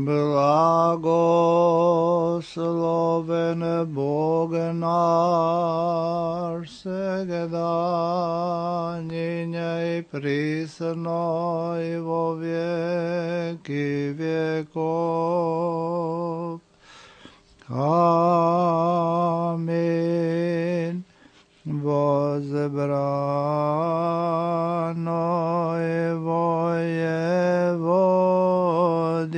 Blagosloven Bog naš, svegda njinja i prisno i vo vijeki vjekov. Amin. Возбрано его Еводье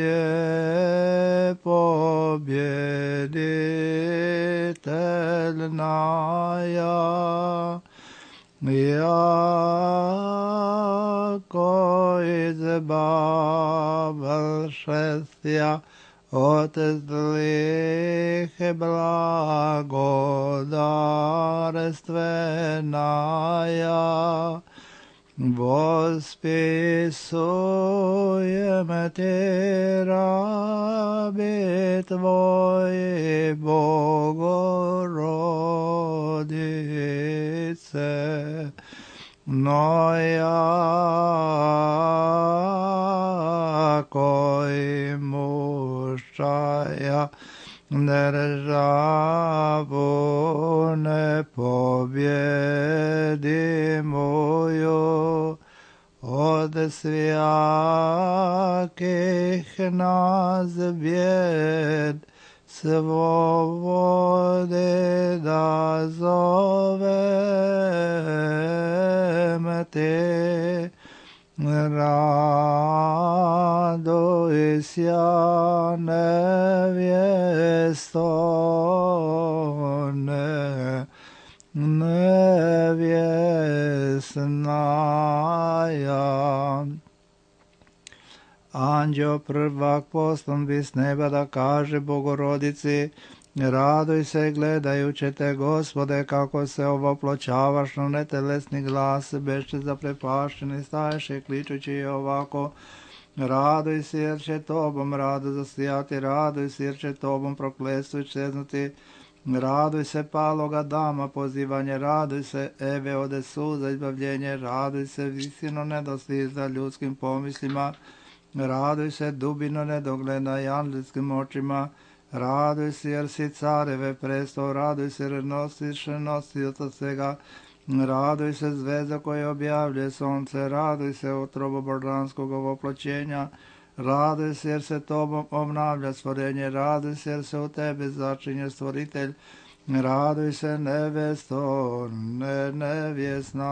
победительная, яко избавил шестья от злых благодарственная, восписуем те раби Твои, Богородице, но яко имущая державу непобедимую от всяких нас бед, свободы да зовем Те. Радуйся, невесто, невестная. Anđeo prvak poslan bi s neba da kaže Bogorodici: raduj se gledajući te, Gospode, kako se ovoploćavaš na netelesni glas, beše zaprepašteni staješ i kličući ovako: raduj se jer će tobom rado zasijati, raduj se jer će tobom prokletstvo iščeznuti, raduj se paloga dama pozivanje, raduj se Eve ode suza izbavljenje, raduj se visino nedostižna ljudskim pomislima, raduj se dubino nedogledna i angelskim očima, raduj se jer si careve prestol, raduj se jer nosiš nosioca svega, raduj se zvezda koja objavljuje sonce, raduj se utrobo božanskog ovoploćenja, raduj se jer se tobom obnavlja stvorenje, raduj se jer se u tebe začinje stvoritelj, raduj se nevesto, nevjesna.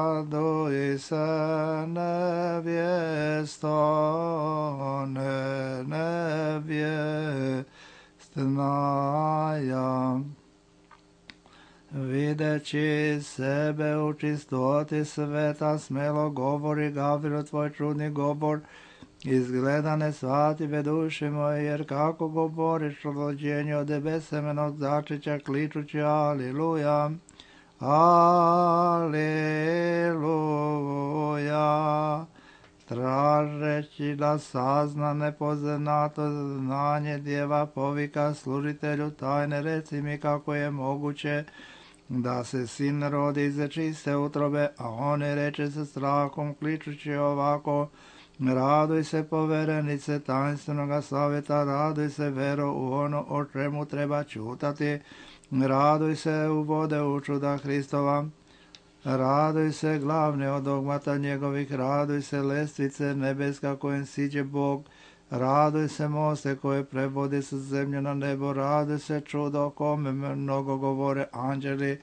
Raduj se nevjesto, nevjestnaja. Videći sebe u čistoti sveta, smelo govori Gavrilo tvoj čudni govor, izgleda ne shvative duše moje, jer kako govoriš o rođenju od besemenog začeća, kličući Aliluja. Aleluja, tražeći da sazna nepoznato znanje djeva povika služitelju tajne, reci mi kako je moguće da se sin rodi iz čiste utrobe, a on reče sa strahom kličući ovako: raduj se poverenice tajnstvenog savjeta, raduj se vero u ono o čemu treba čutati, raduj se u vode u čuda Hristova, raduj se glavne od dogmata njegovih, raduj se lestvice nebeska kojem siđe Bog, raduj se moste koje prevodi sa zemlje na nebo, raduj se čudo o kome mnogo govore anđeli,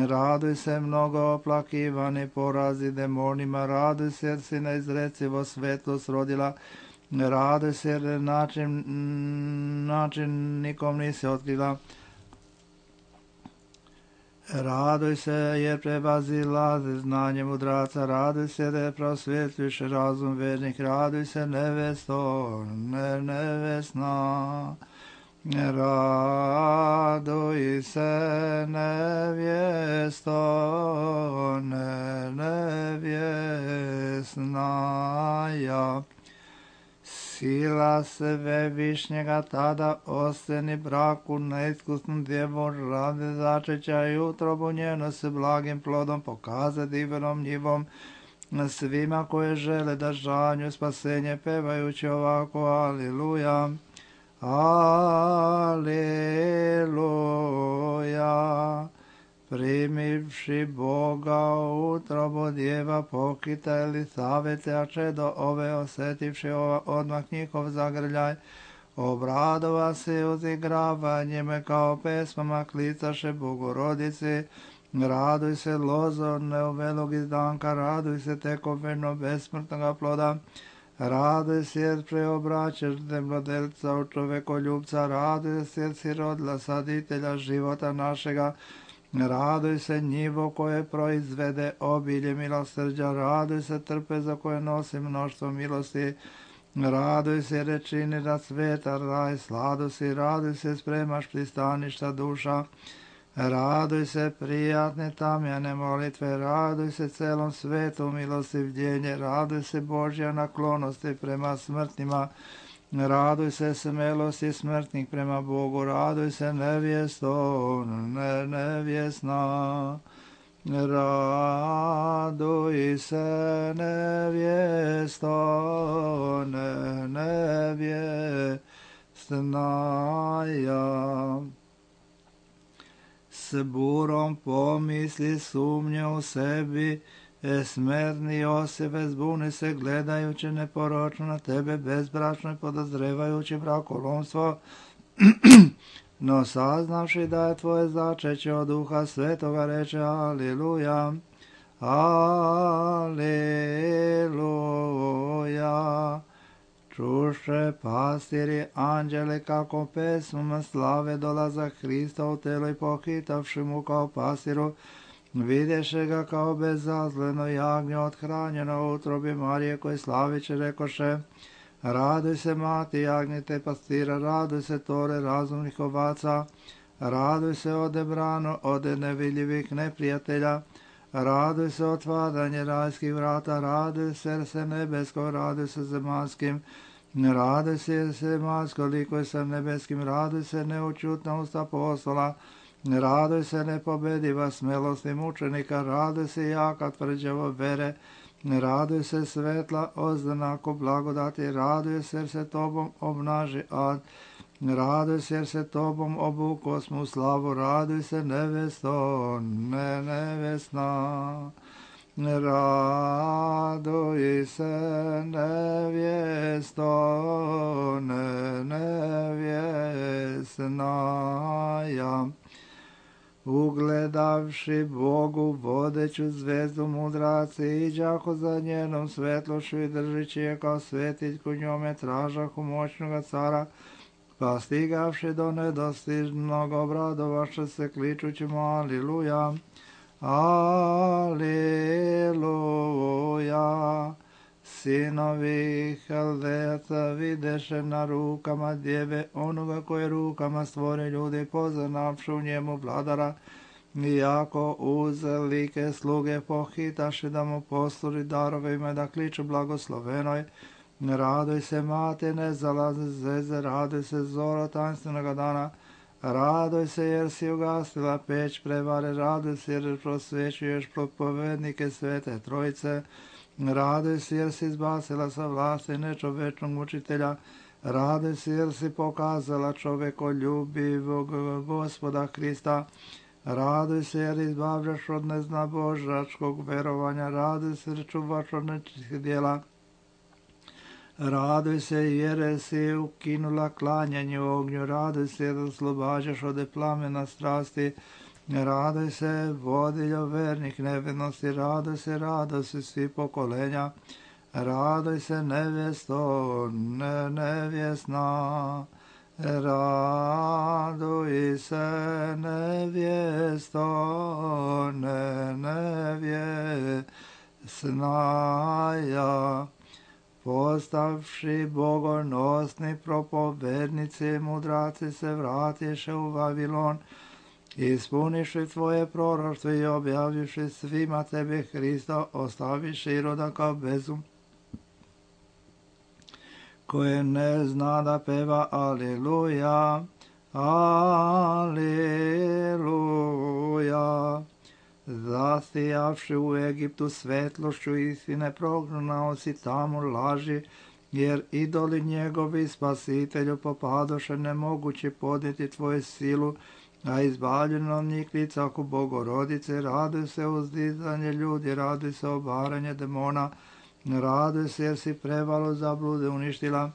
raduj se mnogo oplakivani porazi demonima, raduj se jer si neizrecivo svetlost rodila, raduj se jer način nikom nisi otkrila, raduj se jer prevazila znanje mudraca, raduj se jer prosvjetljuješ razum vernih, raduj se nevesto, nevesna, raduj se nevjesto, nevjesnaja. Sila Svevišnjega tada osteni braku neiskusnom djevom rade začeća i utrobu njeno s blagim plodom pokaza divnom njivom, svima koje žele da žanju spasenje pevajući ovako Aliluja, Aliluja. Primivši Boga u utrobu djeva pokita Elisavete, a čedo ove osetivši odmah njihov zagrljaj, obradova se uzigravanjem kao pesmama klicaše Bogorodici. Raduj se lozo neuvelog izdanka, raduj se tekoveno besmrtnoga ploda, raduj se jer preobraćaš zemljodelca u čovekoljubca, raduj se jer si rodila saditelja života našega, raduj se njivo koje proizvede obilje milosrđa, raduj se trpeza koje nosi mnoštvo milosti, raduj se rečini da sveta raj sladosti, raduj se spremaš pristaništa duša, raduj se prijatne tamjane molitve, raduj se celom svetu milostivljenje, raduj se Božja naklonosti prema smrtnima, raduj se smelosti smrtnih prema Bogu, raduj se nevjesto, nevjesna, raduj se nevjesto, nevjesna ja. S burom pomisli sumnje u sebi, smrtni Josife zbuni se gledajući neporočno na tebe bezbračno i podozrevajući brakolomstvo, no saznavši da je tvoje začeće od Duha Svetoga reče Aliluja, Aliluja. Čuše pastiri anđele kako pesmom slave dolazak Hrista u telo i pohitavši mu kao pastiru, videše ga kao bezazleno jagnje othranjeno u utrobi Marije koje slaviće rekoše, raduj se mati jagnjete pastira, raduj se tore razumnih ovaca, raduj se odebrano od nevidljivih neprijatelja, raduj se otvaranje rajskih vrata, raduj se nebesko, raduj se zemaljskim, raduj se zemaljsko likuje sa nebeskim, raduj se neučutna usta apostola, raduj se nepobediva smelosti mučenika, raduj se jaka tvrđavo vere, raduj se svetla oznako blagodati, raduj se jer se tobom obnaži ad, raduj se jer se tobom obuko smo slavu, raduj se nevesto, nevesna, raduj se nevjesto, nevjesna ja. Ugledavši Bogu vodeću zvezdu mudraci, iđaho za njenom svetlošću i držići je kao svetiljku njome tražahu moćnoga cara, pa stigavši do nedostižnog obradovaše se kličući mu Aliluja, Aliluja. Sinovi Haldejaca videše na rukama djeve onoga koje rukama stvore ljudi, poznavši u njemu vladara, iako uz like sluge pohitaše da mu posluži darove ime da kliču blagoslovenoj, raduj se mate nezalazne zveze, raduj se zoro tanstvenoga dana, raduj se jer si ugasila peć prevare, raduj se jer prosvećuješ propovednike svete trojice, raduj se jer si izbacila sa vlasti nečovečnog mučitelja, raduj se jer si pokazala čovekoljubivog Gospoda Hrista, raduj se jer izbavljaš od neznabožačkog verovanja, raduj se jer čuvaš od nečistih djela, raduj se jer si ukinula klanjanje u ognju, raduj se jer oslobađaš od plamena strasti, raduj se vodiljo vernih nevinosti, raduj se svi pokolenja, raduj se nevjesto, nevjesna, raduj se nevjesto, nevjesna ja. Postavši bogonosni propovednici, mudraci se vratiše u Vavilon, ispuniši tvoje proroštvo i objavivši svima tebi Hrista, ostaviši roda kao bezum, koje ne zna da peva Aliluja, Aliluja. Zasijavši u Egiptu svetlošću istine, prognao si tamo laži, jer idoli njegovi spasitelju popadoše, nemogući podnijeti tvoju silu, a izbavljeno njih licahu Bogorodice. Raduj se uzdizanje ljudi, raduj se obaranje demona, raduj se jer si prevalu zablude uništila,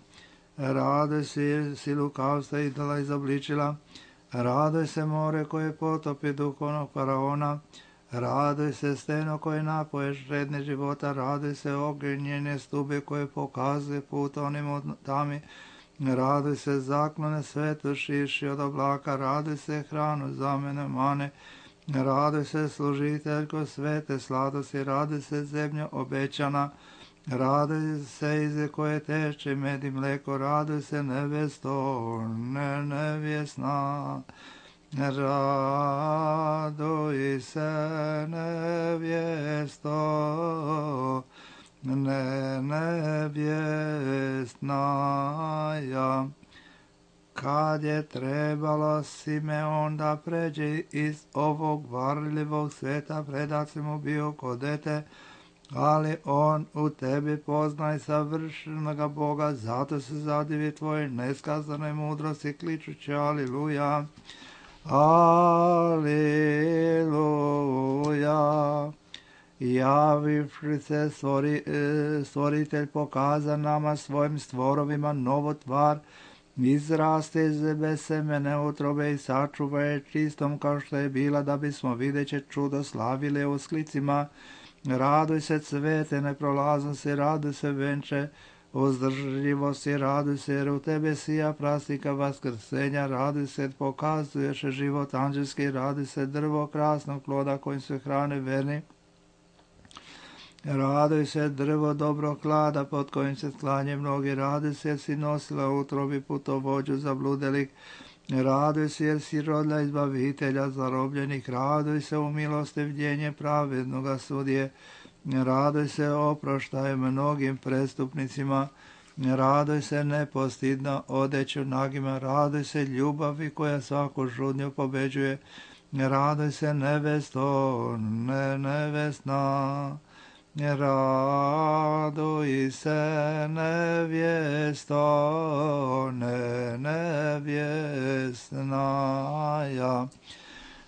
raduj se jer si lukavstva idola izobličila, raduj se more koje potopi duhovnog faraona, raduj se steno koje napoješ redne života, raduj se ognjene stube koje pokazuje put onim tami, raduj se zaklone svetu šiši od oblaka, raduj se hranu za mene mane, raduj se služiteljko svete sladosti, raduj se zemlja obećana, raduj se ize koje teče med i mleko, raduj se nevesto, nevjesna. Raduj se nevjesto, nevjesnaja. Kad je trebalo Simeon da pređe iz ovog varljivog sveta, predat se mu bio ko dete, ali on u tebi poznaj savršenoga Boga, zato se zadivi tvoje neskazane mudrosti, kličući aliluja. Aleluja. Javivši se stvoritelj pokaza nama svojim stvorovima novu tvar, izraste iz bez semene utrobe i sačuva je čistom kao što je bila, da bismo videće čudo slavili usklicima. Raduj se cvete neprolaznosti, raduj se venče uzdržljivosti, raduj se jer u tebe sija prasnika vaskrsenja, raduj se pokazuješ život anđelski, raduj se drvo krasnog ploda kojim se hrane verni, raduj se drvo dobrog klada pod kojim se sklanje mnogi, raduj se jer si nosila u utrobi putovođu zabludelih, raduj se jer si rodila izbavitelja zarobljenih, raduj se u milostivljenje pravednoga sudije, raduj se oproštaj mnogim prestupnicima, raduj se nepostidno odeću nagima, raduj se ljubavi koja svaku žudnju pobeđuje, raduj se nevesto, nevesna, raduj se nevjesto, nevjesnaja.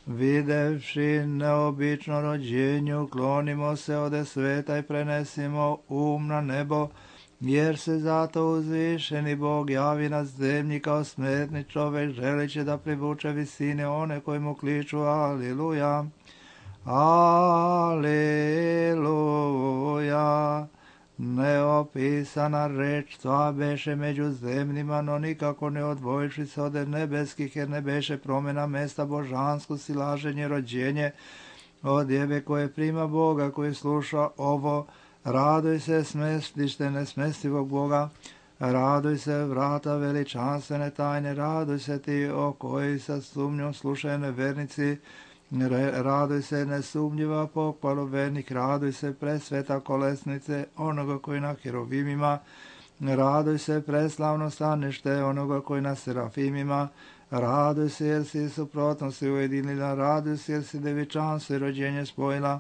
Videvši neobično rođenju, klonimo se ode sveta i prenesimo na nebo, jer se zato uzvišeni Bog javi na zemlji kao smetni čovek, želeći da privuče visine one koji mu kliču aliluja. Aleluja. Neopisana reč tva beše među zemljima, no nikako ne odvojiši se od nebeskih, jer ne beše promjena mesta božansko, silaženje, rođenje od jebe koje prima Boga, koji sluša ovo. Raduj se smestište nesmestivog Boga, raduj se vrata veličanstvene tajne, raduj se ti o koji sa sumnjom slušaju nevernici, raduj se nesumnjiva pohvalu vernih, raduj se presveta kolesnice onoga koji na herovimima, raduj se preslavno stanište onoga koji na serafimima, raduj se jer si suprotnosti ujedinila, raduj se jer si devičanstvo i rođenje spojila,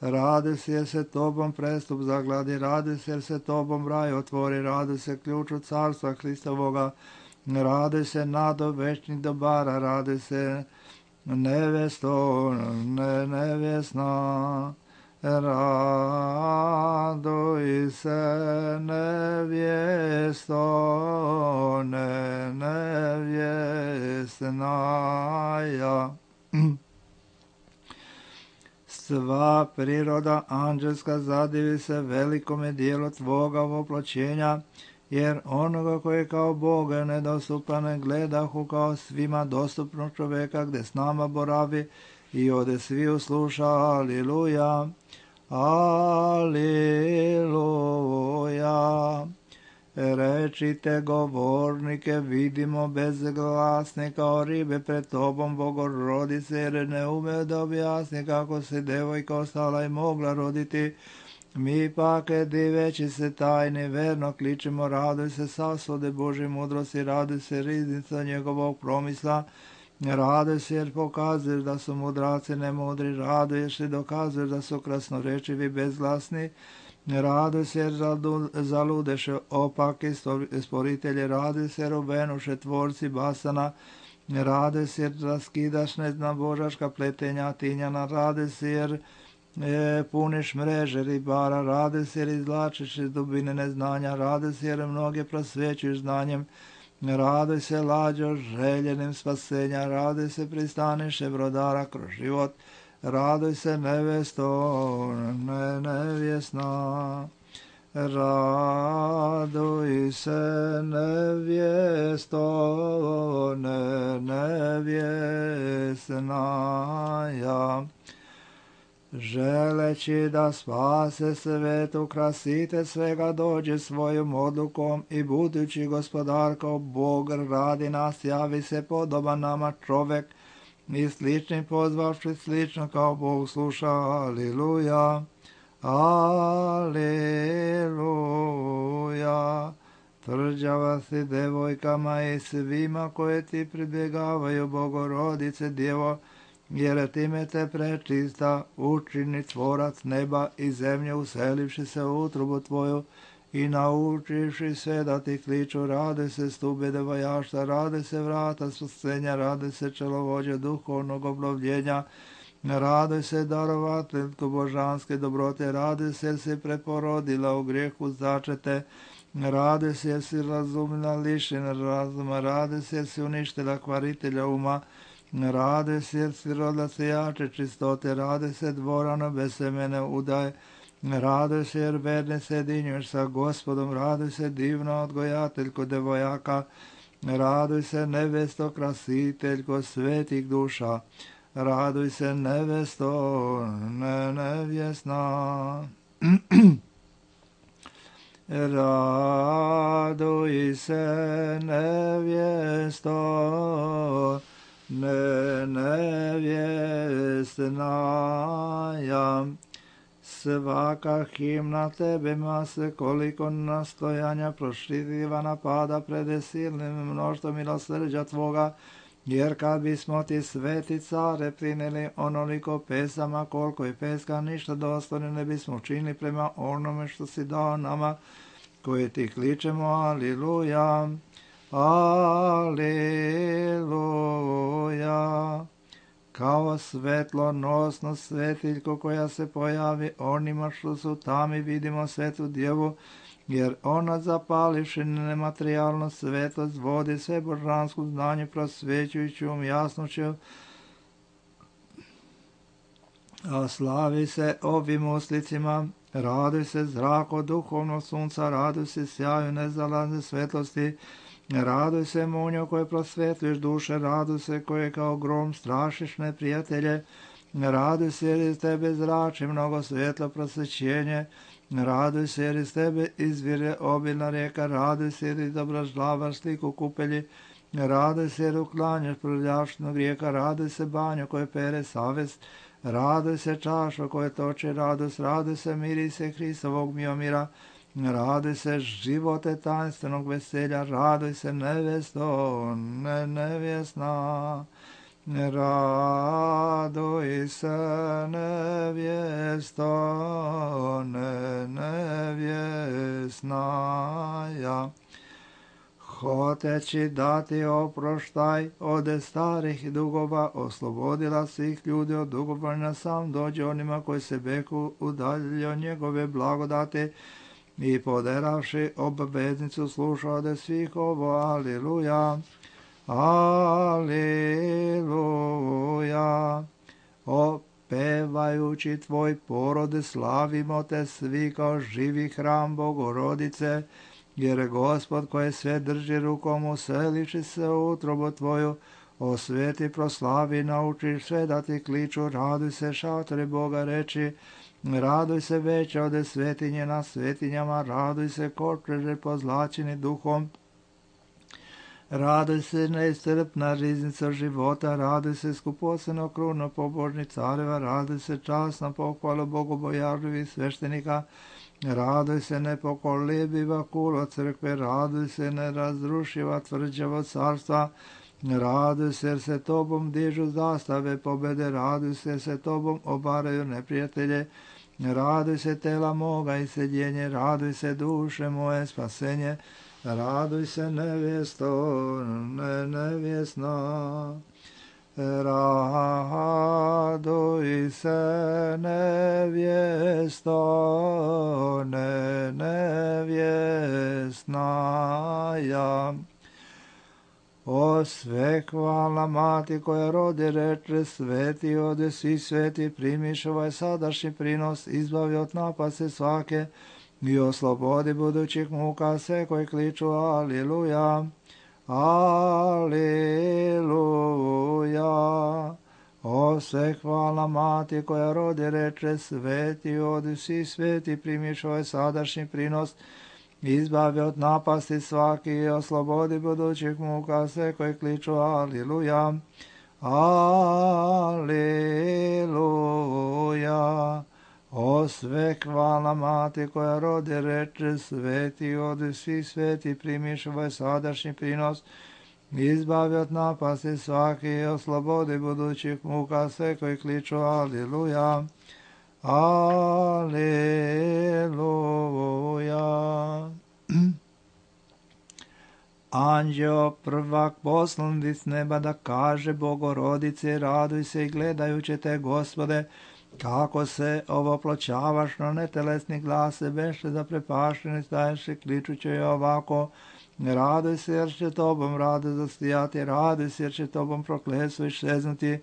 raduj se jer se tobom prestup zagladi, raduj se jer se tobom raj otvori, raduj se ključu carstva Hristovoga, raduj se nado večnih dobara, raduj se nevesto, nevjesna, raduj se nevjesto, nevjesnaja. Sva priroda anđelska zadivi se velikome dijelu tvoga voploćenja, jer onoga koji kao Boga nedostupan gledahu kao svima dostupnog čoveka, gde s nama boravi i ode svi usluša. Aliluja, aliluja. Rečite govornike, vidimo bezglasne kao ribe pred tobom, Bogorodice, jer ne ume da objasni kako se devojka ostala i mogla roditi. Mi pak, diveći se tajni, verno kličemo, raduj se sasvode Božje mudrosti, raduj se riznica njegovog promisla, Raduj se jer pokazuješ da su mudraci nemudri, raduješ i dokazuješ da su krasnorečivi bezglasni, raduj se jer zaludeše opaki sporitelji, raduj se jer obenuše tvorci basana, raduj se jer raskidaš božaška pletenja tinjana, raduj se jer puniš mreže ribara, raduj se jer izvlačiš iz dubine neznanja, raduj se jer mnoge prosvećuješ znanjem, raduj se lađo željenim spasenja, raduj se pristaniše brodara kroz život, raduj se nevesto nevjesna, raduj se nevjesto nevjesna, želeći da spase svet, ukrasite svega dođe svojom odlukom i budući gospodar kao Bog radi nas, javi se podoban nama čovek i slični pozvavši slično kao Bog sluša. Aliluja, aliluja. Tvrđava si devojkama i svima koje ti pribjegavaju, Bogorodice Djevo, jer time te prečista učini tvorac neba i zemlje, uselivši se u utrobu tvoju i naučivši sve da ti kliču. Rade se stube devojašta, rade se vrata spasenja, rade se čelovođe duhovnog obnovljenja, rade se darovateljko božanske dobrote, rade se jer si preporodila u grijehu začete, rade se jer si razumna lišena razuma, rade se jer si uništila kvaritelja uma, rade se jer si rodila sijače čistote, rade se dvorano bez semene udaje, rade se jer verne sjedinjuješ sa Gospodom, rade se divno odgojateljko devojaka, raduj se nevesto krasiteljko svetih duša, raduj se nevesto nevjesna. Raduj se nevjesto nevjesna, svaka himna tebe mase, koliko nastojanja proširiva napada pred silnim mnoštvom milosrđa tvoga, jer kad bismo ti sveti care prineli onoliko pesama, koliko je peska, ništa dostojno ne bismo učinili prema onome što si dao nama, koje ti kličemo. Aliluja, aliluja. Kao svetlonosno svetiljko koja se pojavi onima što su tami, vidimo svetu djevu, jer ona zapalivši nematerijalno svetlost vodi sve božansko znanje prosvećujućom jasnoću, a slavi se ovim uslicima. Raduj se zrako duhovnog sunca, raduj se sjaju nezalazne svetlosti, raduj se munjo koje prosvetuješ duše, raduj se koje kao grom strašiš neprijatelje, raduj se jer iz tebe zrači mnogo svetlo prosvećenje, raduj se jer iz tebe izvire obilna rijeka, raduj se jer izobražavaš sliku kupelji, raduj se jer uklanjaš prljavštinu grijeka, raduj se banjo koje pere savest, raduj se čašo koje toče radost, raduj se mirise Hristovog miomira, raduj se živote tajnstvenog veselja, raduj se nevesto nevjesna, raduj se nevjesto nevjesna, hoteći dati oproštaj od starih dugova, oslobodila svih ljudi od dugovanja, sam dođe onima koji se beku udaljili od njegove blagodate i poderavši obveznicu sluša od svih ovo. Aliluja, aliluja. Opevajući tvoj porod slavimo te svi kao živi hram Bogorodice, jer Gospod koje sve drži rukom useliši se u utrobu tvoju, osveti, proslavi, naučiš sve da ti kliču. Raduj se šatore Boga reči, raduj se veća od svetinje na svetinjama, raduj se kočeže pozlačeni duhom, raduj se neiscrpna riznica života, raduj se skupoceno kruno pobožnih careva, raduj se časno pohvalu bogobojažljivih sveštenika, raduj se nepokolebiva kulo crkve, raduj se nerazrušiva tvrđavo carstva, Raduj se jer se tobom dižu zastave pobjede, raduj se jer se tobom obaraju neprijatelje. Raduj se tela moga i sjedjenje, raduj se duše moje spasenje. Raduj se nevjesto, nevjesna. Raduj se nevjesto, nevjesna ja. O sve hvalna mati koja rodi reče, sveti ode svi sveti, primiš ovaj sadašnji prinos, izbavi od napasti svake i oslobodi budućih muka sve koji kliču aliluja, aliluja. O sve hvalna mati koja rodi reče, sveti ode svi sveti, primiš ovaj sadašnji prinos, izbavi od napasti svaki i oslobodi budućih muka sve koji kliču aliluja, aliluja. O sve hvalna mati koja rodi reče, sveti odi svi sveti, primiš ovaj sadašnji prinos, izbavi od napasti svaki i oslobodi budućih muka sve koji kliču aliluja, Aleluja. Anđeo prvak poslan iz neba da kaže Bogorodice, raduj se i gledajući te, Gospode, kako se ovoploćavaš na netelesni glas, beše zaprepašteni staješ i kličući je ovako, raduj se jer će tobom rado zastijati, raduj se jer će tobom prokletstvo iščeznuti,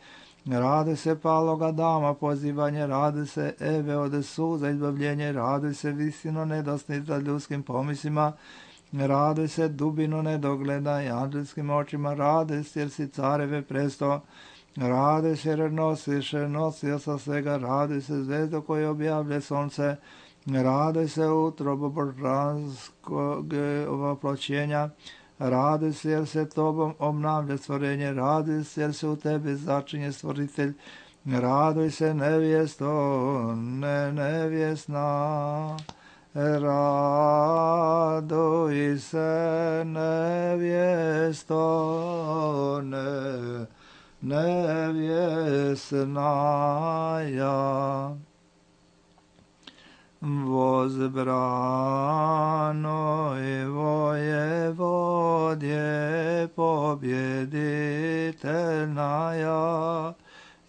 raduj se paloga dama pozivanje, raduj se Eve ode suza izbavljenje, raduj se visino nedosnica ljudskim pomislima, raduj se dubino nedogleda i anđelskim očima, raduj se jer si careve presto, raduj se jer nosio sa svega, raduj se zvezdo koje objavlje sonce, raduj se utrobo božanskog ovoploćenja, raduj se jer se tobom obnavlja stvorenje, raduj se jer se u tebi začinje stvoritelj, raduj se nevjesto, nevjesna, raduj se nevjesto, nevjesna ja. Возбрано и воеводье победительная,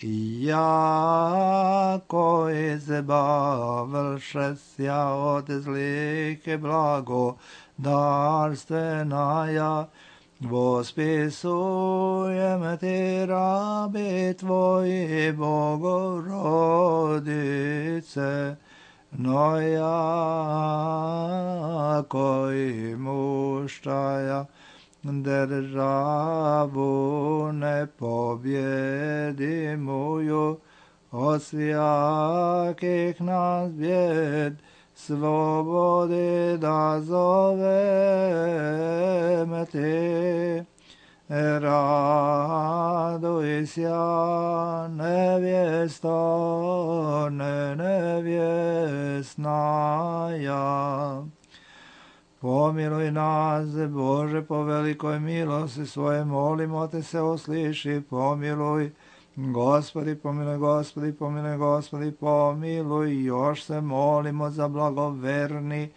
яко избавившися от злых и благодарственная, восписуем ти, раби твои, Богородице, но яко имущая державу непобедимую, от всяких нас бед свободы да зовем ти. Радуйся, невесто, невесная. Помилуй нас, Боже, по великой милости Своей, молимо Те се услыши, помилуй. Господи, помилуй, Господи, помилуй, Господи, помилуй. Još se molimo za blagoverni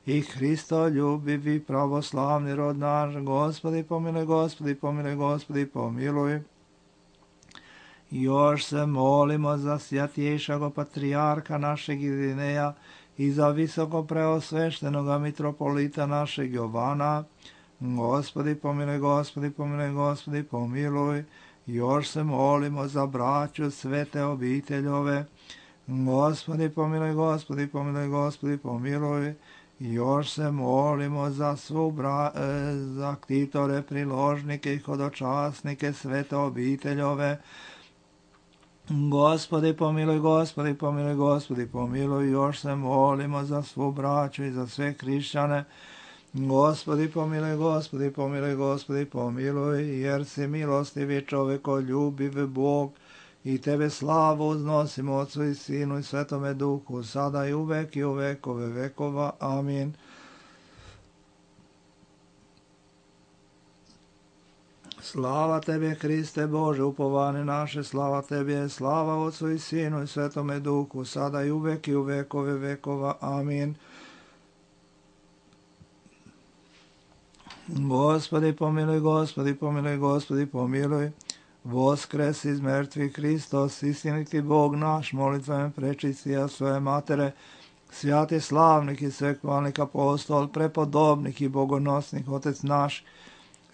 i Hristoljubivi pravoslavni rod naš. Gospodi, pomiluje, Gospodi, pomiluje, Gospodi, pomiluj. Još se molimo za svjatjejšago patrijarha našeg Irineja i za visoko preosveštenoga mitropolita našeg Jovana. Gospodi, pomiluje, Gospodi, pomiluje, Gospodi, pomiluj. Još se molimo za braću svete obiteljove. Gospodi, pomiluje, Gospodi, pomiluje, Gospodi, pomiluj. Još se molimo za za ktitore, priložnike i hodočasnike svete obiteljove. Gospodi, pomiluj, Gospodi, pomiluj, Gospodi, pomiluj. Još se molimo za svu braću i za sve hrišćane. Gospodi, pomiluj, Gospodi, pomiluj, Gospodi, pomiluj, jer si milostivi čovjeko, ljubiv Bog, i Tebe slavu uznosimo Otcu i Sinu i Svetome Duhu, sada i uvek i u vekove vekova. Amin. Slava Tebi, Hriste Bože, upovane naše, slava Tebi, slava Otcu i Sinu i Svetome Duhu, sada i uvek i u vekove vekova. Amin. Gospodi pomiluj, Gospodi pomiluj, Gospodi pomiluj. Voskres iz mrtvih Hristos, istiniti Bog naš, molitvama prečistija svoje matere, svjati slavnik i svekvalnik apostol, prepodobnik i bogonosnik, Otec naš,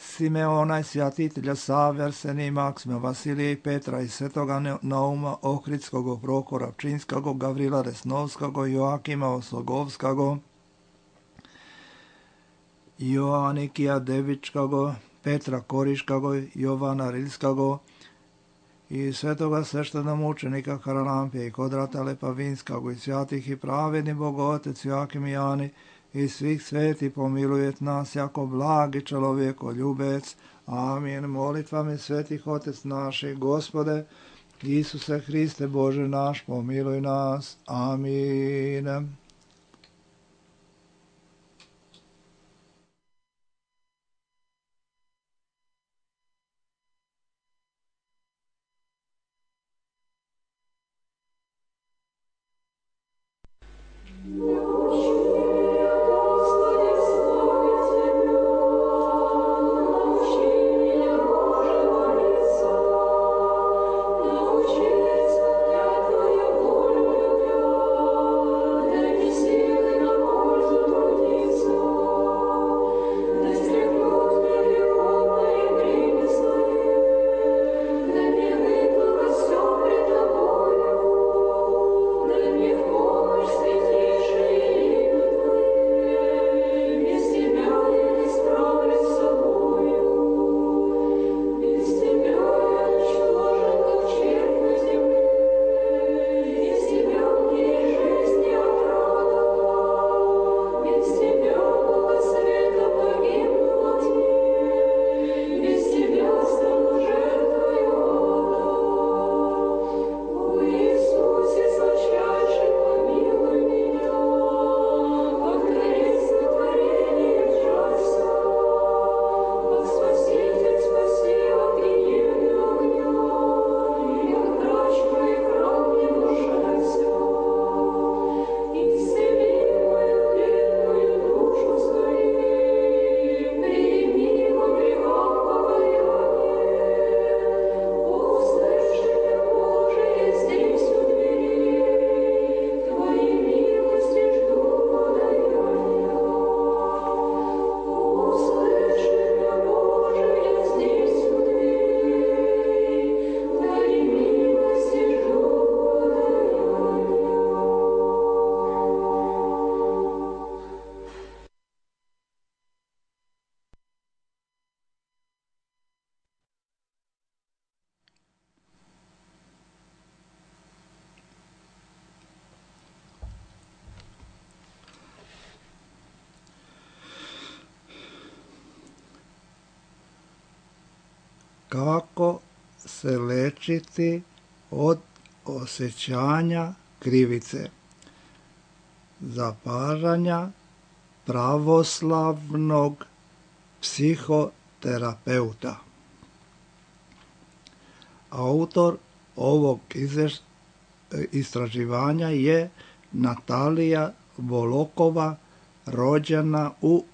Simeona i svjatitelja Save, Arsenija i Maksima, Vasilija i Petra i svetoga Nauma Ohridskog, Prokora Pčinskog, Gavrila Resnovskog, Joakima Oslogovskog, Joanikija Devičkog, Petra Koriškog, Jovana Rilskog i svetoga sveštenomučenika Haralampija i Kodrata Lepavinskog i svjatih i pravedni Bogotec Joakim i Jani i svih sveti pomilujet nas jako blagi čovjeko ljubec. Amin. Molitvami svetih Otec naših, Gospode, Isuse Hriste Bože naš, pomiluj nas. Amin. Kako se lečiti od osjećanja krivice? Zapažanja pravoslavnog psihoterapeuta. Autor ovog istraživanja je Natalija Volokova, rođena u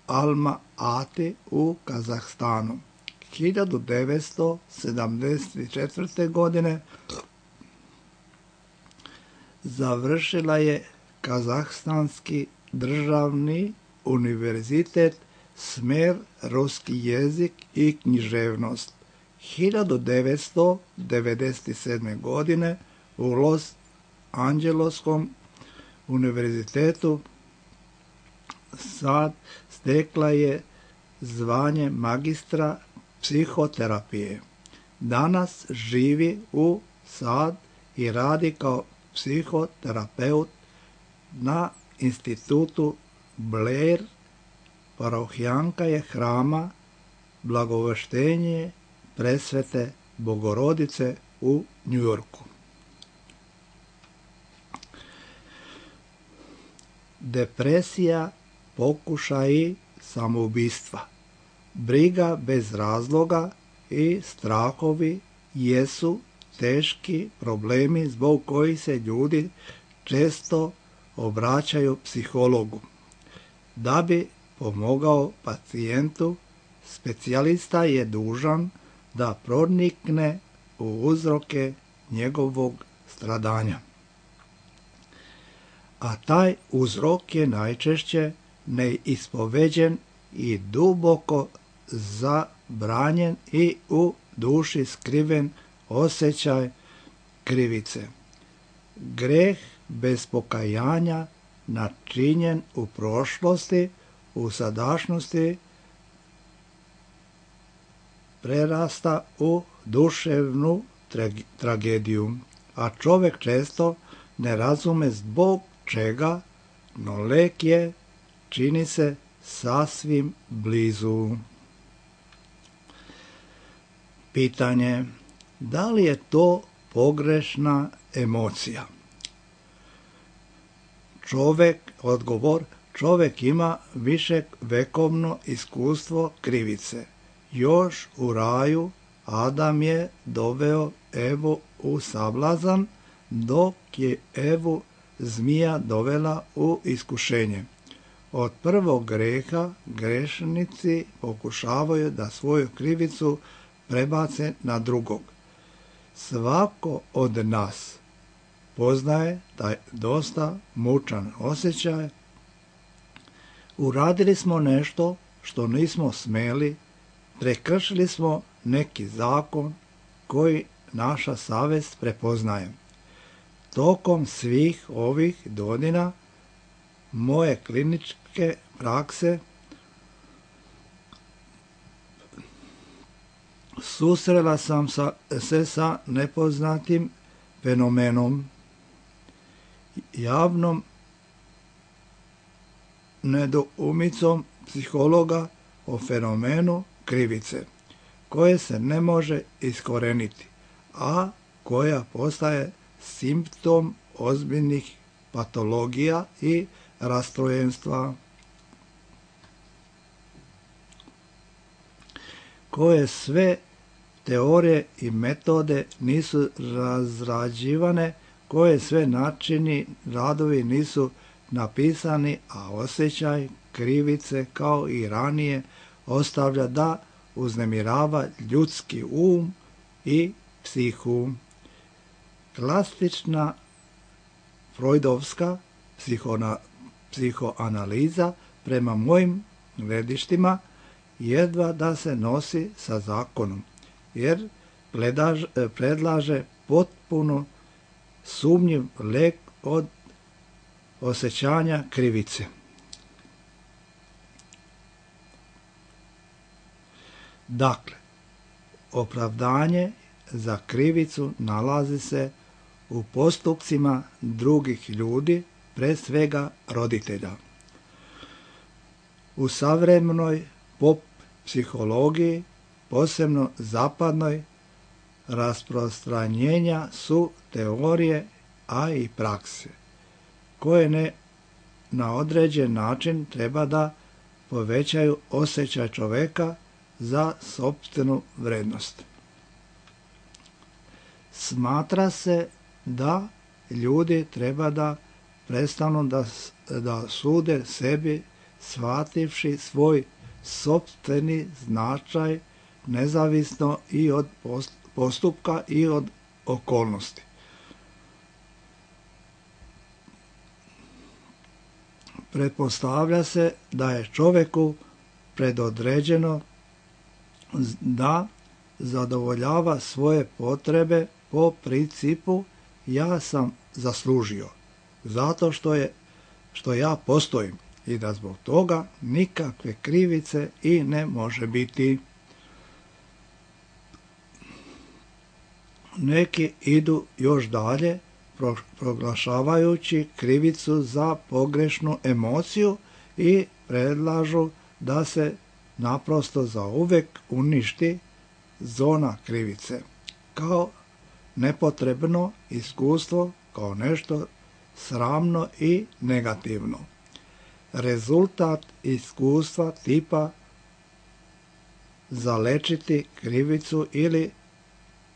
Alma-Ati u Kazahstanu. 1974. godine završila je Kazahstanski državni univerzitet, smer ruski jezik i književnost. 1997. godine u Los Angeleskom univerzitetu sad stekla je zvanje magistra psihoterapije. Danas živi u Sad i radi kao psihoterapeut na institutu Blair. Parohijanka je hrama Blagoveštenje Presvete Bogorodice u Njujorku. Depresija, pokušaji samoubistva. Briga bez razloga i strahovi jesu teški problemi zbog kojih se ljudi često obraćaju psihologu. Da bi pomogao pacijentu, specijalista je dužan da pronikne u uzroke njegovog stradanja. A taj uzrok je najčešće neispoveđen i duboko zabranjen i u duši skriven osjećaj krivice. Greh bez pokajanja načinjen u prošlosti, u sadašnjosti prerasta u duševnu tragediju, a čovjek često ne razume zbog čega, no lek je, čini se, sasvim blizu. Pitanje: da li je to pogrešna emocija? Odgovor: čovjek ima viševekovno iskustvo krivice. Još u raju Adam je doveo Evu u sablazan, dok je Evu zmija dovela u iskušenje. Od prvog greha grešnici pokušavaju da svoju krivicu prebace na drugog. Svako od nas poznaje taj dosta mučan osjećaj. Uradili smo nešto što nismo smeli, prekršili smo neki zakon koji naša savjest prepoznaje. Tokom svih ovih godina moje kliničke prakse susrela sam se sa nepoznatim fenomenom, javnom nedoumicom psihologa o fenomenu krivice, koje se ne može iskoreniti, a koja postaje simptom ozbiljnih patologija i rastrojenstva, koje sve teorije i metode nisu razrađivane, koje sve načini radovi nisu napisani, a osjećaj krivice kao i ranije ostavlja da uznemirava ljudski i psihu. Klasična freudovska psihoanaliza prema mojim gledištima jedva da se nosi sa zakonom, jer predlaže potpuno sumnjiv lek od osjećanja krivice. Dakle, opravdanje za krivicu nalazi se u postupcima drugih ljudi, pre svega roditelja. U savremenoj pop psihologiji, posebno zapadnoj, rasprostranjenja su teorije, a i prakse, koje na određen način treba da povećaju osjećaj čoveka za sopstvenu vrednost. Smatra se da ljudi treba da prestanu da sude sebi, shvativši svoj sopstveni značaj nezavisno i od postupka i od okolnosti. Pretpostavlja se da je čovjeku predodređeno da zadovoljava svoje potrebe po principu ja sam zaslužio, zato što ja postojim i da zbog toga nikakve krivice i ne može biti. Neki idu još dalje, proglašavajući krivicu za pogrešnu emociju i predlažu da se naprosto zauvek uništi zona krivice, kao nepotrebno iskustvo, kao nešto sramno i negativno. Rezultat iskustva tipa zalečiti krivicu ili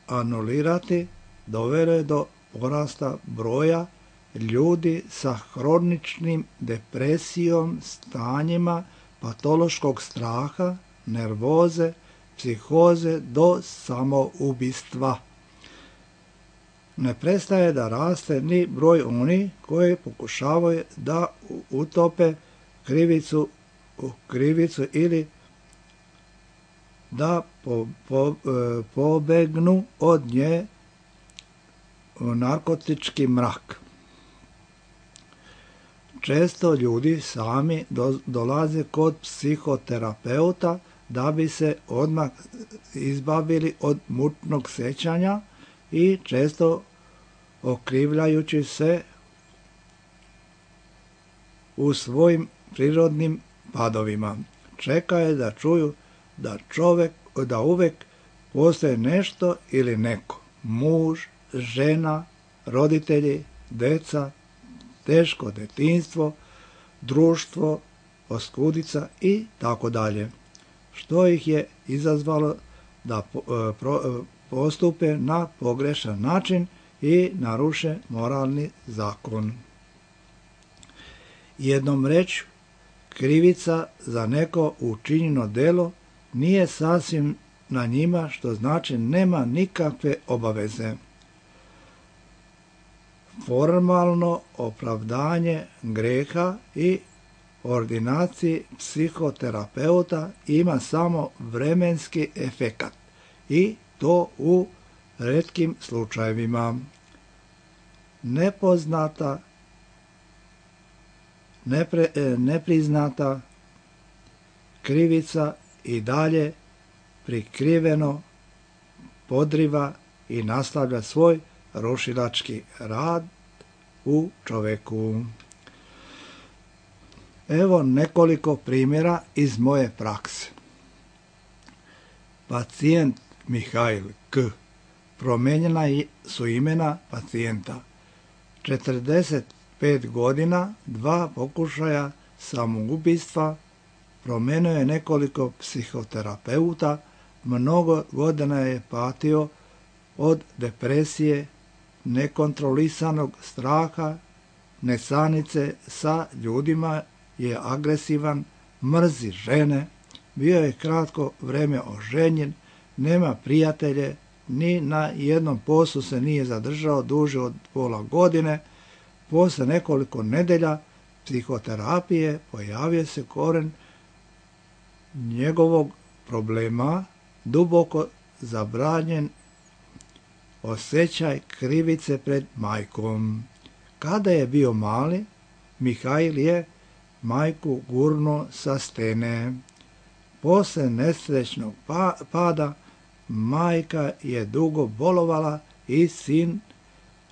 anulirati, dovelo je do porasta broja ljudi sa hroničnim depresijom, stanjima patološkog straha, nervoze, psihoze do samoubistva. Ne prestaje da raste ni broj onih koji pokušavaju da utope krivicu ili da pobegnu od nje u narkotički mrak. Često ljudi sami dolaze kod psihoterapeuta da bi se odmah izbavili od mutnog sjećanja i često okrivljajući se u svojim prirodnim padovima. Čekaju da čuju da uvek postoje nešto ili neko, muž, žena, roditelji, deca, teško detinjstvo, društvo, oskudica i tako dalje, što ih je izazvalo da postupe na pogrešan način i naruše moralni zakon. Jednom rečju, krivica za neko učinjeno delo nije sasvim na njima, što znači nema nikakve obaveze. Formalno opravdanje greha i ordinaciji psihoterapeuta ima samo vremenski efekat i to u retkim slučajevima. Nepriznata krivica i dalje prikriveno podriva i nastavlja svoj rušilački rad u čoveku. Evo nekoliko primjera iz moje prakse. Pacijent Mihail K. Promijenjena su imena pacijenta. 45 godina, 2 pokušaja samoubistva, promijenio je nekoliko psihoterapeuta, mnogo godina je patio od depresije, nekontrolisanog straha, nesanice sa ljudima, je agresivan, mrzi žene, bio je kratko vrijeme oženjen, nema prijatelje, ni na jednom poslu se nije zadržao duže od pola godine. Posle nekoliko nedelja psihoterapije pojavio se koren njegovog problema, duboko zabranjen osjećaj krivice pred majkom. Kada je bio mali, Mihail je majku gurnuo sa stene. Posle nesrećnog pada majka je dugo bolovala i sin,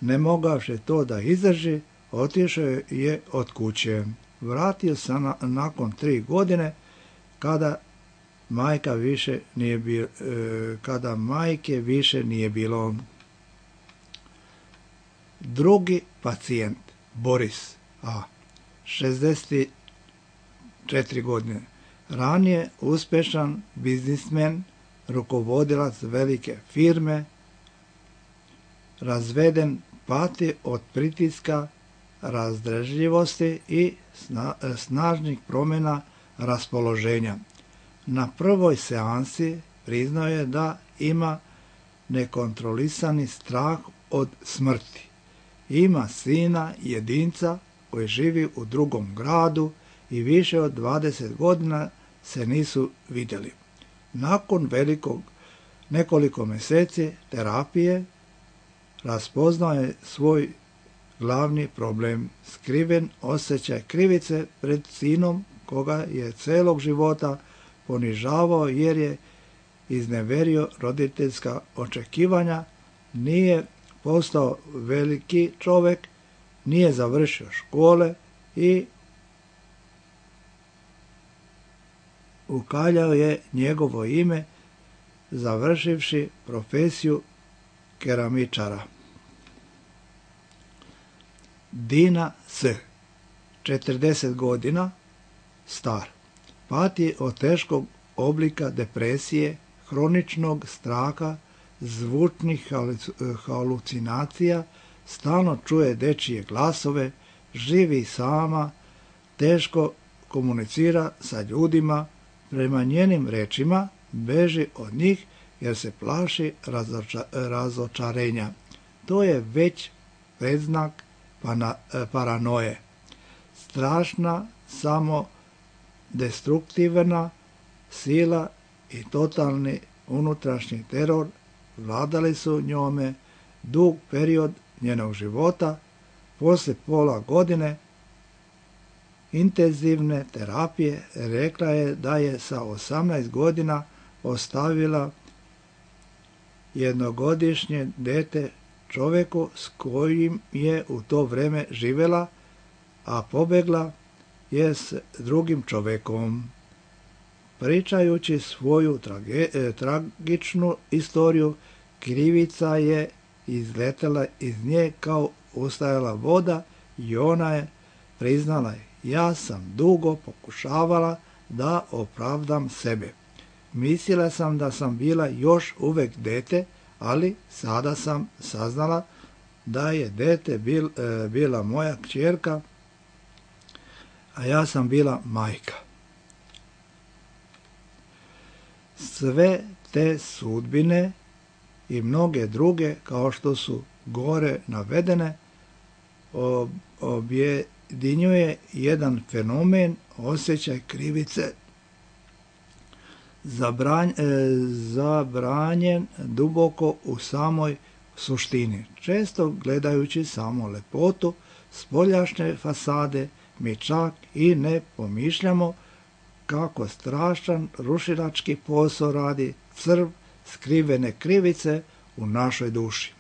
ne mogavši to da izdrži, otišao je od kuće. Vratio se nakon 3 godine kada majke više nije bilo. Drugi pacijent, Boris A. 64 godine. Ranije uspješan biznismen, rukovodilac velike firme, razveden, pati od pritiska, razdražljivosti i snažnih promjena raspoloženja. Na prvoj seansi priznao je da ima nekontrolisani strah od smrti. Ima sina, jedinca, koji živi u drugom gradu i više od 20 godina se nisu vidjeli. Nakon nekoliko mjeseci terapije raspoznao je svoj glavni problem, skriven osjećaj krivice pred sinom koga je celog života ponižavao jer je izneverio roditeljska očekivanja, nije postao veliki čovjek, nije završio škole i ukaljao je njegovo ime završivši profesiju keramičara. Dina S. 40 godina, star. Pati od teškog oblika depresije, hroničnog straha, zvučnih halucinacija, stalno čuje dečije glasove, živi sama, teško komunicira sa ljudima, prema njenim rečima beži od njih jer se plaši razočarenja. To je već predznak paranoje. Strašna, samo destruktivna sila i totalni unutrašnji teror vladali su njome dug period njenog života. Poslije pola godine intenzivne terapije rekla je da je sa 18 godina ostavila jednogodišnje dete čovjeku s kojim je u to vrijeme živjela, a pobjegla je s drugim čovjekom. Pričajući svoju tragičnu istoriju, krivica je izletela iz nje kao ustajala voda i ona je priznala: ja sam dugo pokušavala da opravdam sebe. Mislila sam da sam bila još uvijek dete, ali sada sam saznala da je dete bila moja kćerka, a ja sam bila majka. Sve te sudbine i mnoge druge, kao što su gore navedene, objedinjuje jedan fenomen, osjećaj krivice, zabranjen duboko u samoj suštini. Često gledajući samo lepotu spoljašnje fasade, mi čak i ne pomišljamo kako strašan rušilački posao radi crv skrivene krivice u našoj duši.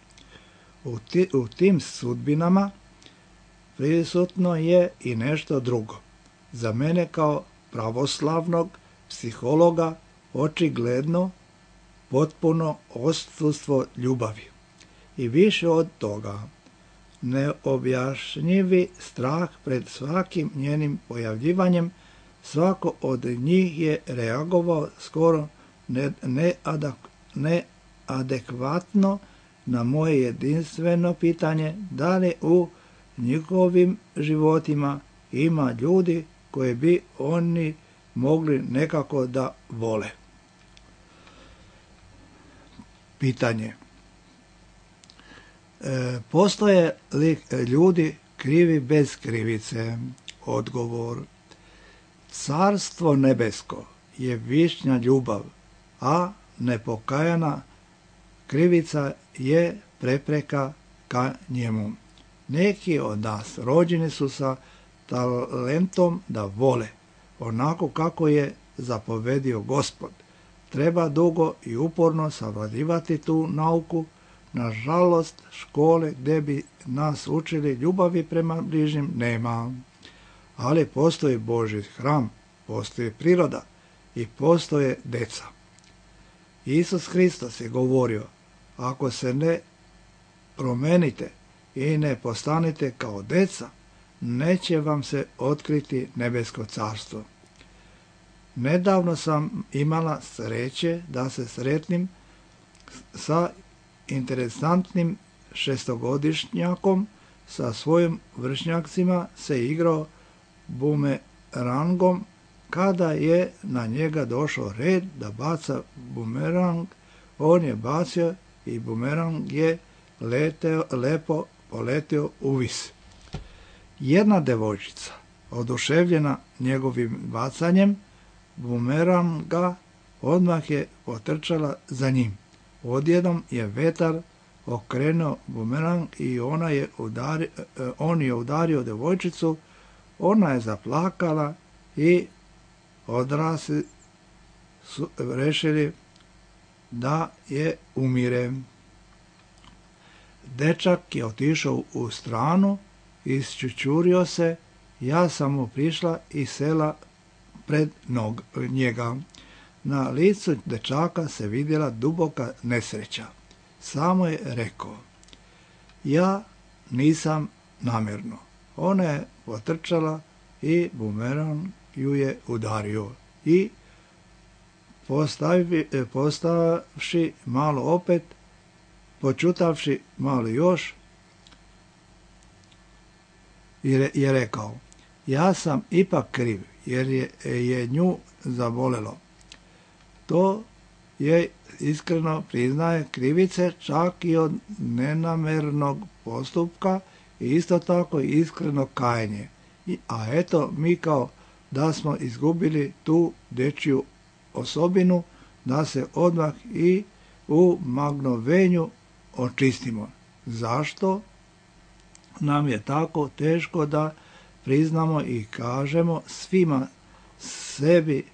U tim sudbinama prisutno je i nešto drugo. Za mene kao pravoslavnog psihologa očigledno potpuno odsustvo ljubavi. I više od toga, neobjašnjivi strah pred svakim njenim pojavljivanjem. Svako od njih je reagovao skoro neadekvatno na moje jedinstveno pitanje da li u njihovim životima ima ljudi koje bi oni mogli nekako da vole. Pitanje. Postoje li ljudi krivi bez krivice? Odgovor. Carstvo nebesko je višnja ljubav, a nepokajana krivica je prepreka ka njemu. Neki od nas rođeni su sa talentom da vole, onako kako je zapovedio Gospod. Treba dugo i uporno savladivati tu nauku. Nažalost, škole gdje bi nas učili ljubavi prema bližnjim nema. Ali postoji Božji hram, postoji priroda i postoje deca. Isus Hristos je govorio: ako se ne promenite i ne postanete kao deca, neće vam se otkriti nebesko carstvo. Nedavno sam imala sreće da se sretnim sa interesantnim šestogodišnjakom. Sa svojim vršnjacima se igrao bumerangom. Kada je na njega došao red da baca bumerang, on je bacio i bumerang je lepo poletio uvis. Jedna devojčica, oduševljena njegovim bacanjem bumeranga, odmah je potrčala za njim. Odjednom je vetar okrenuo bumerang i on je udario devojčicu. Ona je zaplakala i odrasli su rešili da je umire. Dečak je otišao u stranu, isčučurio se. Ja sam mu prišla i sela pred njega. Na licu dečaka se vidjela duboka nesreća. Samo je rekao: ja nisam namjerno. Ona je potrčala i bumerang ju je udario. I postavši malo opet, počutavši malo još, je rekao, ja sam ipak kriv, jer je nju zabolelo. To je iskreno priznaje krivice čak i od nenamernog postupka i isto tako i iskreno kajanje. A eto, mi kao da smo izgubili tu dečju osobinu, da se odmah i u magnovenju očistimo. Zašto nam je tako teško da priznamo i kažemo svima sebi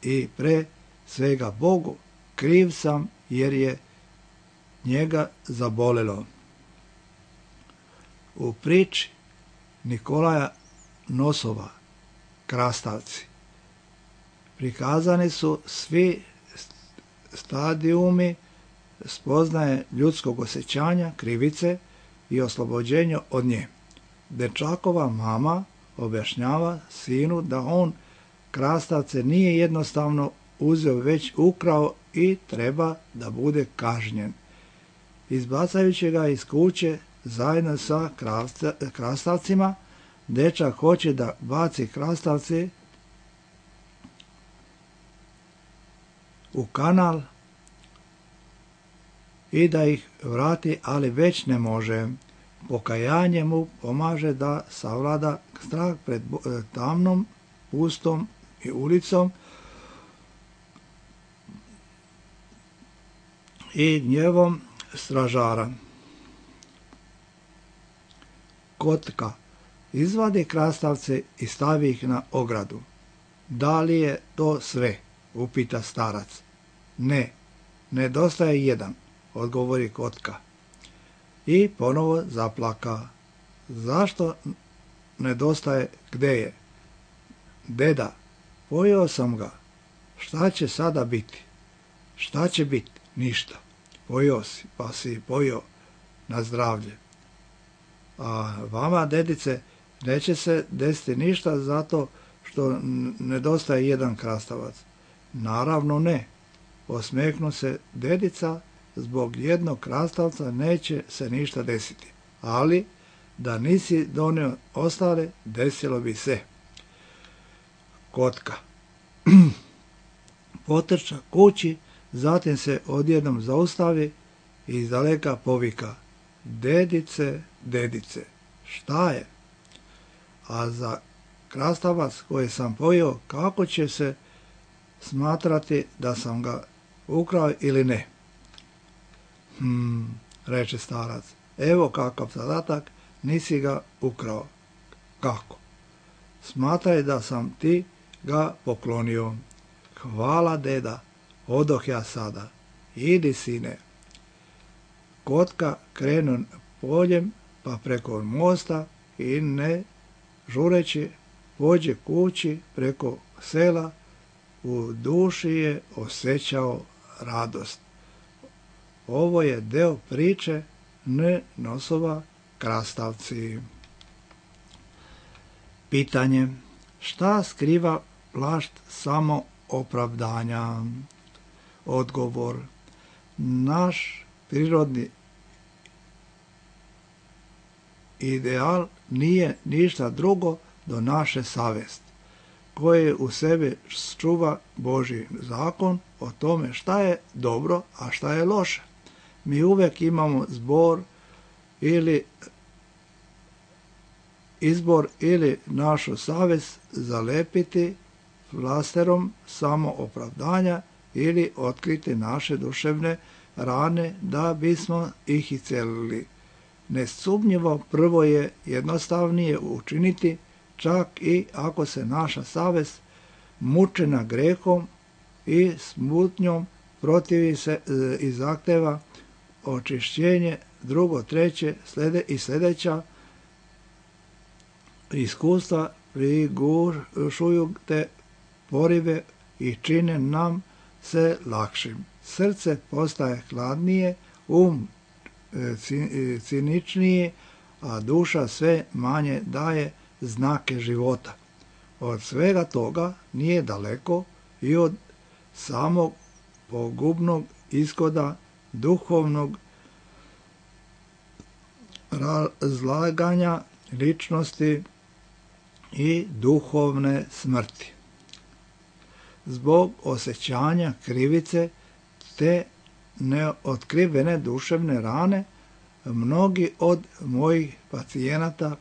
i pre svega Bogu, kriv sam jer je njega zabolelo. U priči Nikolaja Nosova, krastavci, prikazani su svi stadijumi spoznaje ljudskog osjećanja, krivice i oslobođenja od nje. Dečakova mama objašnjava sinu da on krastavce nije jednostavno uzeo, već ukrao i treba da bude kažnjen. Izbacajući ga iz kuće zajedno sa krastavcima, dečak hoće da baci krastavce u kanal i da ih vrati, ali već ne može. Pokajanje mu pomaže da savlada strah pred tamnom, pustom i ulicom i gnjevom stražara. Kotka izvadi krastavce i stavi ih na ogradu. Da li je to sve? Upita starac. Ne, nedostaje jedan, odgovori kotka. I ponovo zaplaka. Zašto nedostaje? Gde je? Deda, pojeo sam ga. Šta će sada biti? Šta će biti? Ništa. Pojeo si, pa si pojeo na zdravlje. A vama, dedice, neće se desiti ništa zato što nedostaje jedan krastavac. Naravno ne. Osmehnu se dedica, zbog jednog krastavca neće se ništa desiti. Ali, da nisi donio ostale, desilo bi se. Kotka potrča kući, zatim se odjednom zaustavi i izdaleka povika. Dedice, dedice, šta je? A za krastavac koji sam pojeo, kako će se smatrati da sam ga ukrao ili ne? Reče starac, evo kakav zadatak, nisi ga ukrao. Kako? Smatraj da sam ti ga poklonio. Hvala, deda, odoh ja sada. Idi, sine. Kotka krenu poljem, pa preko mosta i ne žureći pođe kući preko sela, u duši je osjećao radost. Ovo je deo priče Nosova krastavci. Pitanje. Šta skriva plašt samoopravdanja? Odgovor. Naš prirodni ideal nije ništa drugo do naše savesti, koje u sebi čuva Božji zakon o tome šta je dobro, a šta je loše. Mi uvek imamo izbor ili našu savest zalepiti flasterom samoopravdanja ili otkriti naše duševne rane da bismo ih iscelili. Nesumnjivo prvo je jednostavnije učiniti, čak i ako se naša savest mučena grehom i smutnjom protivi se i zahteva očišćenje. Drugo, treće i sljedeća iskustva prigušuju te porive i čine nam se lakšim. Srce postaje hladnije, ciničniji, a duša sve manje daje znake života. Od svega toga nije daleko i od samog pogubnog ishoda duhovnog razlaganja ličnosti i duhovne smrti. Zbog osjećanja krivice te neotkrivene duševne rane, mnogi od mojih pacijenata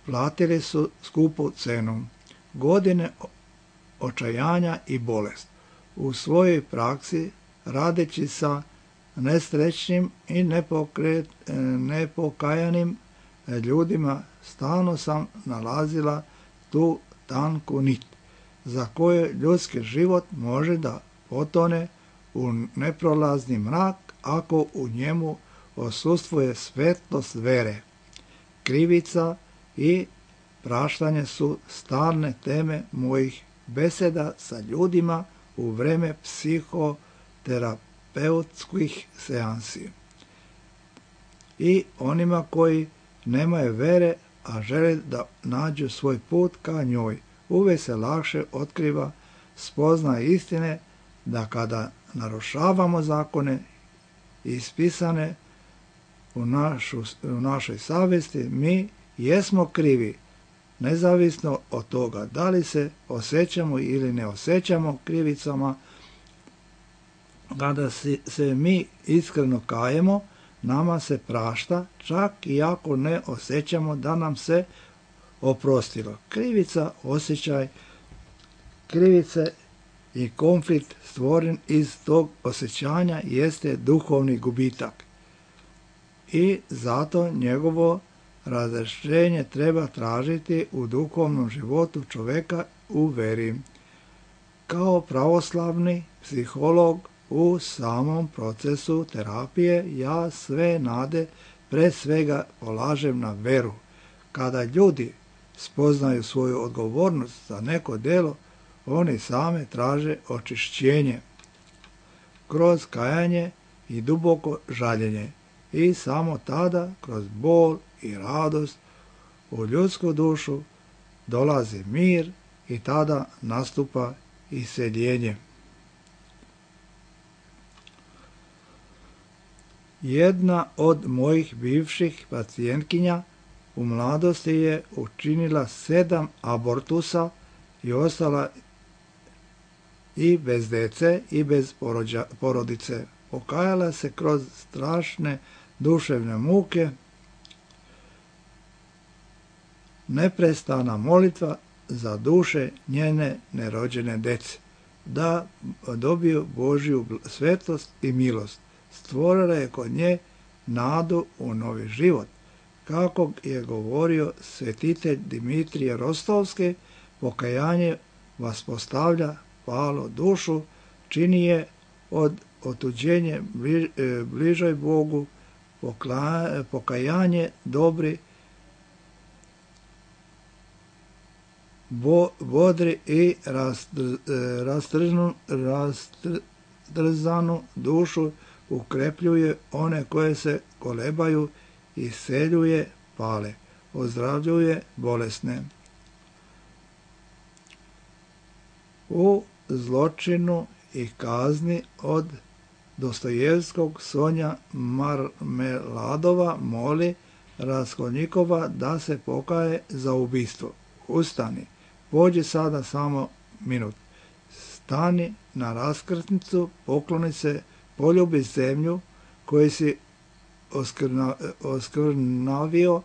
platili su skupu cenu, godine očajanja i bolest. U svojoj praksi, radeći sa nesrećnim i nepokajanim ljudima, stalno sam nalazila tu tanku nit, za koju ljudski život može da potone u neprolazni mrak ako u njemu odsustvuje svetlost vere. Krivica i praštanje su stalne teme mojih beseda sa ljudima u vreme psihoterapeutskih seansi. I onima koji nemaju vere, a žele da nađu svoj put ka njoj, uvijek se lakše otkriva spoznaje istine da kada narušavamo zakone ispisane u našoj savjesti, mi jesmo krivi, nezavisno od toga da li se osjećamo ili ne osjećamo krivicama. Kada se mi iskreno kajemo, nama se prašta, čak i ako ne osjećamo da nam se oprostilo. Krivica, osjećaj krivice i konflikt stvoren iz tog osjećanja jeste duhovni gubitak. I zato njegovo razrješenje treba tražiti u duhovnom životu čovjeka u veri. Kao pravoslavni psiholog u samom procesu terapije ja sve nade pre svega polažem na veru. Kada ljudi spoznaju svoju odgovornost za neko delo, oni same traže očišćenje kroz kajanje i duboko žaljenje i samo tada kroz bol i radost u ljudsku dušu dolazi mir i tada nastupa iseljenje. Jedna od mojih bivših pacijentkinja u mladosti je učinila 7 abortusa i ostala i bez dece i bez porodice. Pokajala se kroz strašne duševne muke, neprestana molitva za duše njene nerođene dece, da dobiju Božju svetost i milost. Stvorila je kod nje nadu u novi život. Kako je govorio svetitelj Dimitrije Rostovski, pokajanje vaspostavlja palu dušu, čini je od otuđenje bližoj Bogu, pokajanje dobri, bodri i rastrzanu dušu ukrepljuje one koje se kolebaju, iseljuje pale, ozdravljuje bolesne. U zločinu i kazni od Dostojevskog Sonja Marmeladova moli Raskolnikova da se pokaje za ubistvo. Ustani, pođi sada samo minut. Stani na raskrsnicu, pokloni se, poljubi zemlju koju si oskrnavio,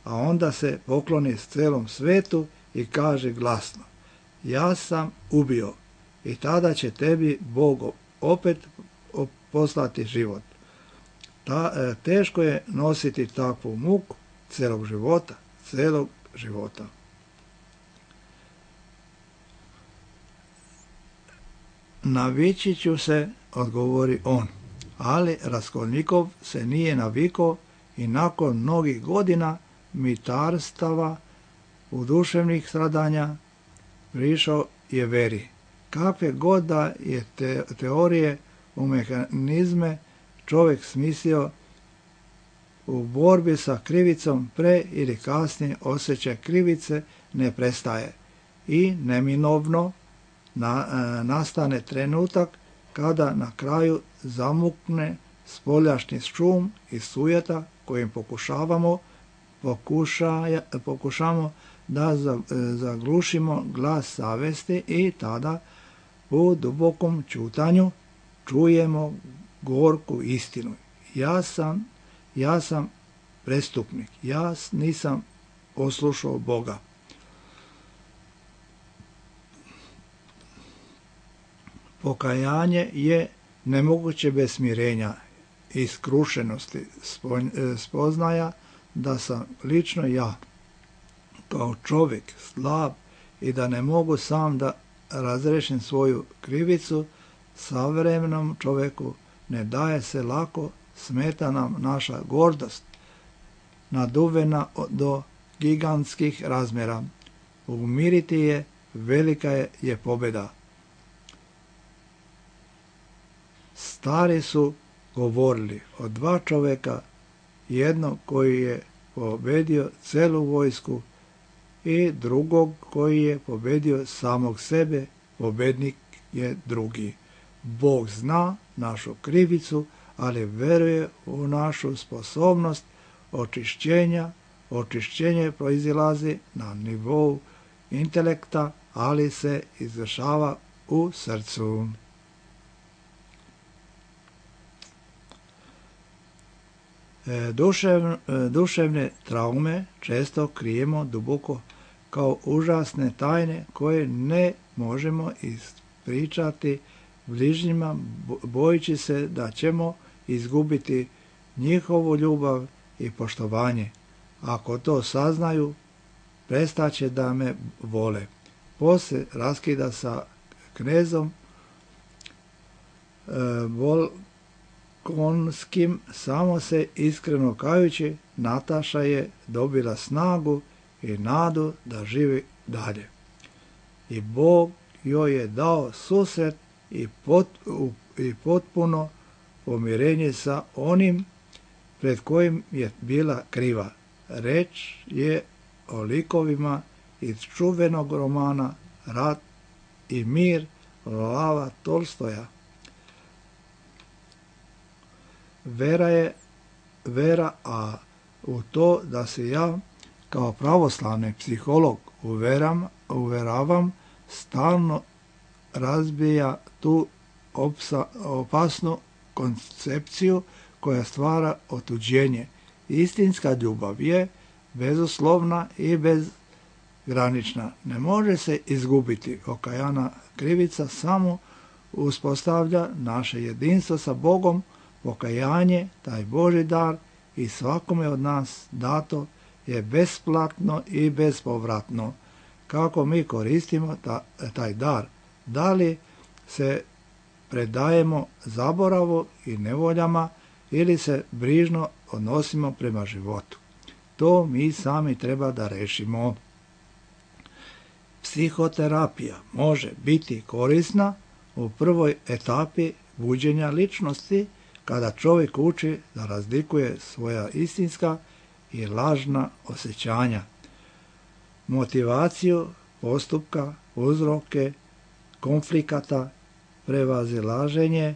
a onda se pokloni celom svetu i kaže glasno: ja sam ubio, i tada će tebi Bog opet poslati život. Teško je nositi takvu muku celog života. Navići ću se, odgovori on, ali Raskolnikov se nije navikao i nakon mnogih godina mitarstava u duševnih stradanja prišao je veri. Kakve god da je teorije u mehanizme čovjek smislio, u borbi sa krivicom pre ili kasnije osjećaj krivice ne prestaje i neminovno nastane trenutak kada na kraju zamukne spoljašnji šum i sujeta kojim pokušamo da zaglušimo glas savesti i tada u dubokom ćutanju čujemo gorku istinu. Ja sam prestupnik, ja nisam poslušao Boga. Pokajanje je nemoguće bez smirenja i skrušenosti, spoznaja da sam lično ja, kao čovjek, slab i da ne mogu sam da razrešim svoju krivicu. Savremenom čovjeku ne daje se lako, smeta nam naša gordost, naduvena do gigantskih razmjera. Umiriti je, velika je pobjeda. Stari su govorili o dva čovjeka, jednog koji je pobedio celu vojsku i drugog koji je pobedio samog sebe, pobednik je drugi. Bog zna našu krivicu, ali veruje u našu sposobnost očišćenja. Očišćenje proizilazi na nivou intelekta, ali se izvršava u srcu. Duševne traume često krijemo duboko kao užasne tajne koje ne možemo ispričati bližnjima, bojeći se da ćemo izgubiti njihovu ljubav i poštovanje. Ako to saznaju, prestaće da me vole. Poslije raskida sa knezom Volkonskim, samo se iskreno kajući, Nataša je dobila snagu i nadu da živi dalje. I Bog joj je dao susret i potpuno pomirenje sa onim pred kojim je bila kriva. Reč je o likovima iz čuvenog romana Rat i mir Lava Tolstoja. Vera, a u to da se ja kao pravoslavni psiholog uveravam, stalno razbija tu opasnu koncepciju koja stvara otuđenje. Istinska ljubav je bezuslovna i bezgranična. Ne može se izgubiti. Okajana krivica samo uspostavlja naše jedinstvo sa Bogom. Pokajanje, taj Božji dar i svakome od nas dato je besplatno i bespovratno. Kako mi koristimo taj dar? Da li se predajemo zaboravu i nevoljama ili se brižno odnosimo prema životu? To mi sami treba da rešimo. Psihoterapija može biti korisna u prvoj etapi buđenja ličnosti, kada čovjek uči da razlikuje svoja istinska i lažna osjećanja, motivaciju postupka, uzroke konflikata, prevazilaženje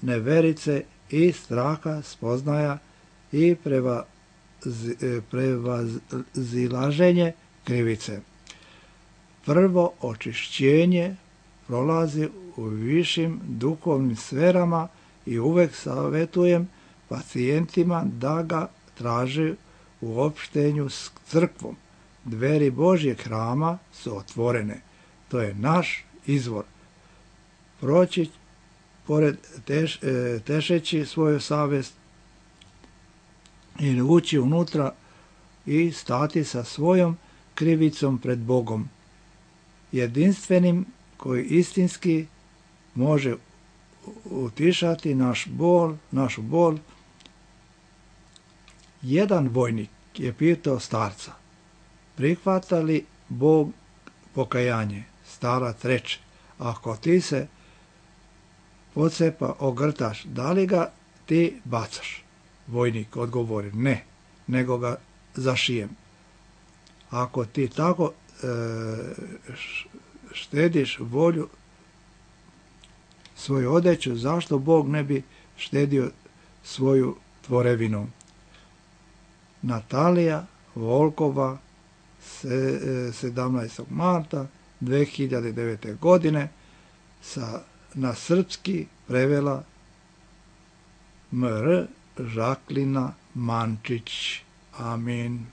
neverice i straha, spoznaja i prevazilaženje krivice. Prvo očišćenje prolazi u višim duhovnim sferama i uvek savjetujem pacijentima da ga traže u opštenju s crkvom. Dveri Božjeg hrama su otvorene. To je naš izvor. Proći pored tešeći svoju savjest ili ući unutra i stati sa svojom krivicom pred Bogom, jedinstvenim koji istinski može utišati našu bol. Jedan vojnik je pitao starca: prihvata li Bog pokajanje? Starac reče: ako ti se pocepa ogrtaš, da li ga ti bacaš? Vojnik odgovori: ne, nego ga zašijem. Ako ti tako štediš volju, svoju odeću, zašto Bog ne bi štedio svoju tvorevinu? Natalija Volkova, 17. marta 2009. godine, na srpski prevela M.R. Žaklina Mančić. Amin.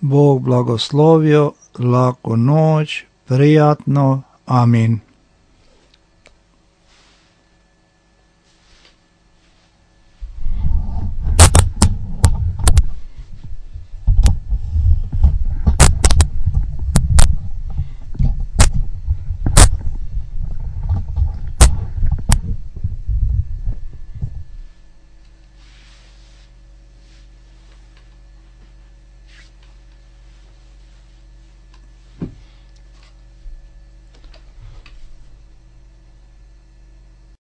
Bog blagoslovio, laku noć, prijatno, amin.